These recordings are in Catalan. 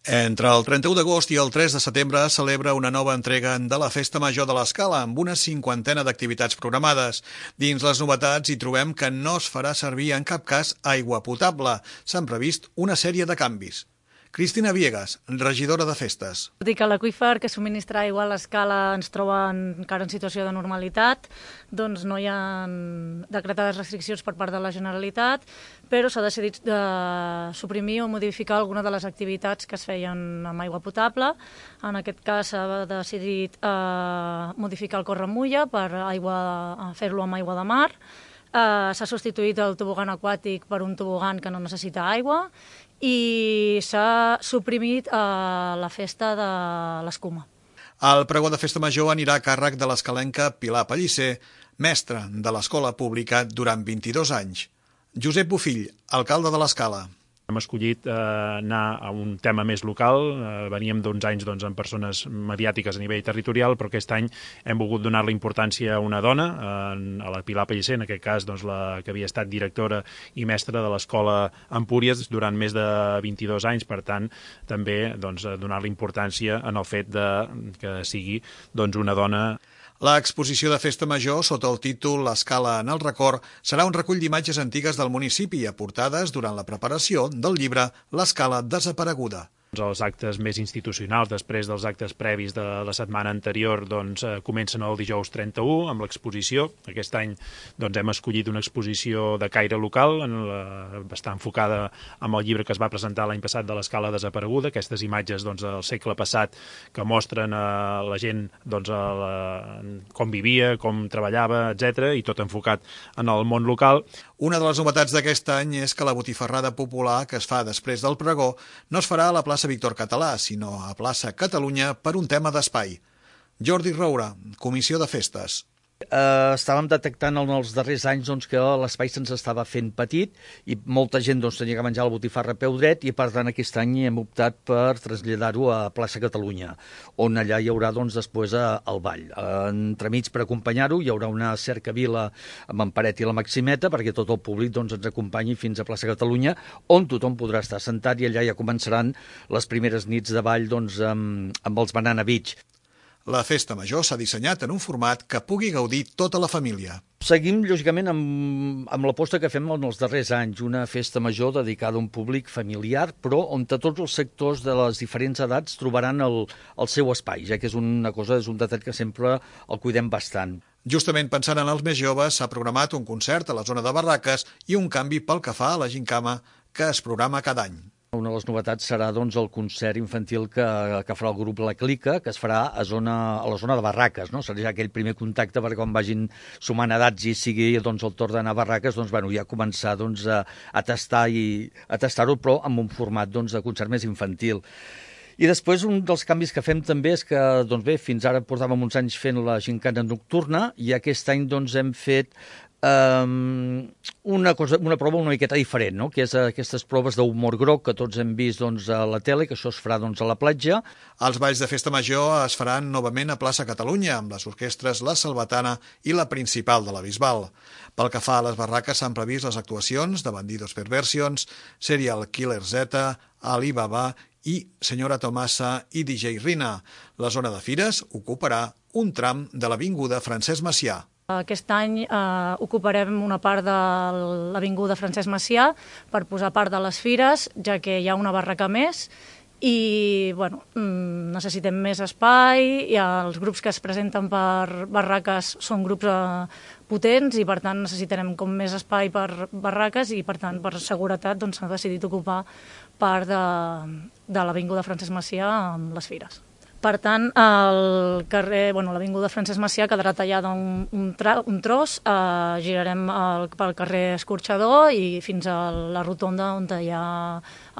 Entre el 31 d'agost i el 3 de setembre es celebra una nova entrega de la Festa Major de l'Escala amb una cinquantena d'activitats programades. Dins les novetats hi trobem que no es farà servir en cap cas aigua potable. S'han previst una sèrie de canvis. Cristina Viegas, regidora de Festes. Tot i que l'aqüífer que subministra aigua a l'Escala ens troba encara en situació de normalitat, doncs no hi ha decretades restriccions per part de la Generalitat, però s'ha decidit suprimir o modificar alguna de les activitats que es feien amb aigua potable. En aquest cas s'ha decidit modificar el Corremulla per fer-lo amb aigua de mar. S'ha substituït el tobogan aquàtic per un tobogan que no necessita aigua i s'ha suprimit la festa de l'escuma. El pregó de Festa Major anirà a càrrec de l'escalenca Pilar Pellicer, mestra de l'escola pública durant 22 anys. Josep Bofill, alcalde de l'Escala. Hem escollit anar a un tema més local, veníem d'uns anys amb persones mediàtiques a nivell territorial, però aquest any hem volgut donar-li importància a una dona, a la Pilar Pellicer, en aquest cas la que havia estat directora i mestra de l'escola Empúries durant més de 22 anys, per tant, també donar-li importància en el fet que sigui una dona. L'exposició de Festa Major, sota el títol L'Escala en el record, serà un recull d'imatges antigues del municipi aportades durant la preparació del llibre L'Escala desapareguda. Els actes més institucionals, després dels actes previs de la setmana anterior, comencen el dijous 31 amb l'exposició. Aquest any hem escollit una exposició de caire local, està enfocada amb el llibre que es va presentar l'any passat de l'Escala desapareguda, aquestes imatges del segle passat que mostren a la gent com vivia, com treballava, etc., i tot enfocat en el món local. Una de les novetats d'aquest any és que la botifarrada popular que es fa després del pregó no es farà a la plaça Víctor Català, sinó a plaça Catalunya per un tema d'espai. Jordi Roura, Comissió de Festes. Estàvem detectant en els darrers anys que l'espai se'ns estava fent petit i molta gent tenia que menjar la botifarra a peu dret i per tant aquest any hem optat per traslladar-ho a plaça Catalunya, on allà hi haurà després el ball. Entremig per acompanyar-ho hi haurà una cercavila amb en Paret i la Maximeta perquè tot el públic ens acompanyi fins a plaça Catalunya, on tothom podrà estar sentat i allà ja començaran les primeres nits de ball amb els Banana Beach. La Festa Major s'ha dissenyat en un format que pugui gaudir tota la família. Seguim, lògicament, amb l'aposta que fem en els darrers anys, una festa major dedicada a un públic familiar, però on tots els sectors de les diferents edats trobaran el seu espai, ja que és un detall que sempre el cuidem bastant. Justament pensant en els més joves, s'ha programat un concert a la zona de Barraques i un canvi pel que fa a la gincama que es programa cada any. Una de les novetats serà el concert infantil que farà el grup La Clica, que es farà a la zona de Barraques, no? Serà ja aquell primer contacte perquè quan vagin sumant edats i sigui el torn d'anar a Barraques, ja començar a tastar-ho, però amb un format de concert més infantil. I després un dels canvis que fem també és que, fins ara portàvem uns anys fent la gincana nocturna i aquest any hem fet una prova una miqueta diferent, no? Que és aquestes proves d'humor groc que tots hem vist a la tele, que això es farà a la platja. Els balls de Festa Major es faran novament a plaça Catalunya, amb les orquestres La Salvatana i la Principal de la Bisbal. Pel que fa a les barraques s'han previst les actuacions de Bandidos Perversions, Serial Killer Z, Alibaba i Senyora Tomasa i DJ Rina. La zona de fires ocuparà un tram de l'avinguda Francesc Macià. Aquest any ocuparem una part de l'avinguda Francesc Macià per posar part de les fires, ja que hi ha una barraca més i necessitem més espai i els grups que es presenten per barraques són grups potents i per tant necessitarem més espai per barraques i per tant per seguretat s'ha decidit ocupar part de l'avinguda Francesc Macià amb les fires. Per tant, l'avinguda Francesc Macià quedarà tallada un tros, girarem pel carrer Escorxador i fins a la rotonda on hi ha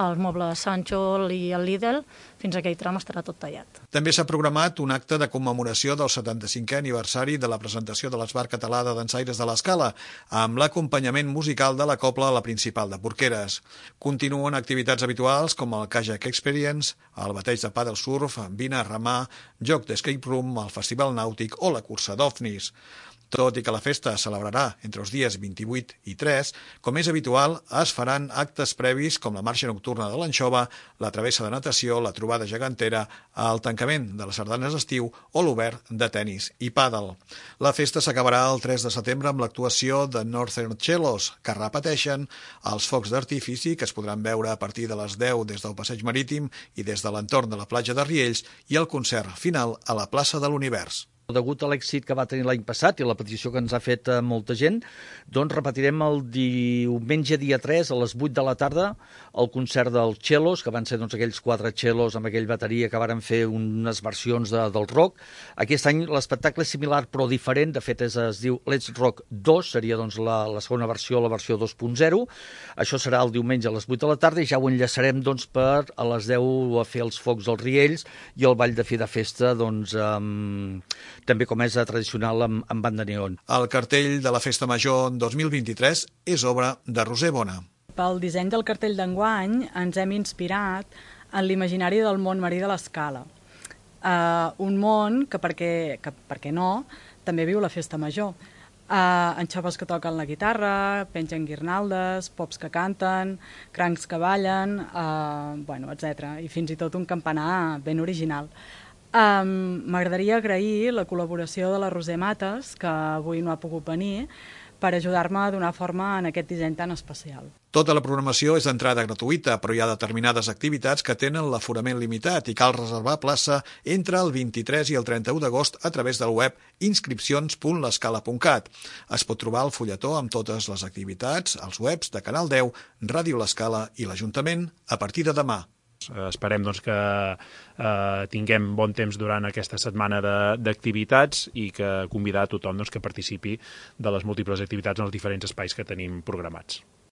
els mobles Sancho i el Lidl, fins a aquell tram estarà tot tallat. També s'ha programat un acte de commemoració del 75è aniversari de la presentació de l'Esbart Català de Dansaires de l'Escala, amb l'acompanyament musical de la cobla a la Principal de Porqueres. Continuen activitats habituals com el Kayak Experience, el bateig de pàdel surf, vine a remar, joc d'escape room, el Festival Nàutic o la cursa d'OVNIs. Tot i que la festa es celebrarà entre els dies 28 i 3, com és habitual, es faran actes previs com la marxa nocturna de l'Anxova, la travessa de natació, la trobada gegantera, el tancament de les sardanes d'estiu o l'obert de tennis i pàdel. La festa s'acabarà el 3 de setembre amb l'actuació de Northern Cellos, que repeteixen els focs d'artifici que es podran veure a partir de les 10 des del Passeig Marítim i des de l'entorn de la platja de Riells i el concert final a la plaça de l'Univers. Degut a l'èxit que va tenir l'any passat i la petició que ens ha fet molta gent, doncs repetirem el diumenge dia 3 a les 8 de la tarda el concert dels cellos, que van ser aquells 4 cellos amb aquell bateria que varen fer unes versions del rock. Aquest any l'espectacle és similar però diferent, de fet es diu Let's Rock 2, seria la segona versió, la versió 2.0. Això serà el diumenge a les 8 de la tarda i ja ho enllaçarem per a les 10 a fer els focs dels Riells i el ball de fi de festa també com és tradicional amb banda neon. El cartell de la Festa Major 2023 és obra de Roser Bona. Pel disseny del cartell d'enguany ens hem inspirat en l'imaginari del món marí de l'Escala. Un món que, per què no, també viu la Festa Major. Anxoves que toquen la guitarra, pengen guirnaldes, pops que canten, crancs que ballen, etc. I fins i tot un campanar ben original. M'agradaria agrair la col·laboració de la Roser Mates, que avui no ha pogut venir, per ajudar-me a donar forma en aquest disseny tan especial. Tota la programació és d'entrada gratuïta, però hi ha determinades activitats que tenen l'aforament limitat i cal reservar plaça entre el 23 i el 31 d'agost a través del web inscripcions.l'escala.cat. Es pot trobar el fulletó amb totes les activitats als webs de Canal 10, Ràdio L'Escala i l'Ajuntament a partir de demà. Esperem que tinguem bon temps durant aquesta setmana d'activitats i que convidar a tothom que participi de les múltiples activitats en els diferents espais que tenim programats.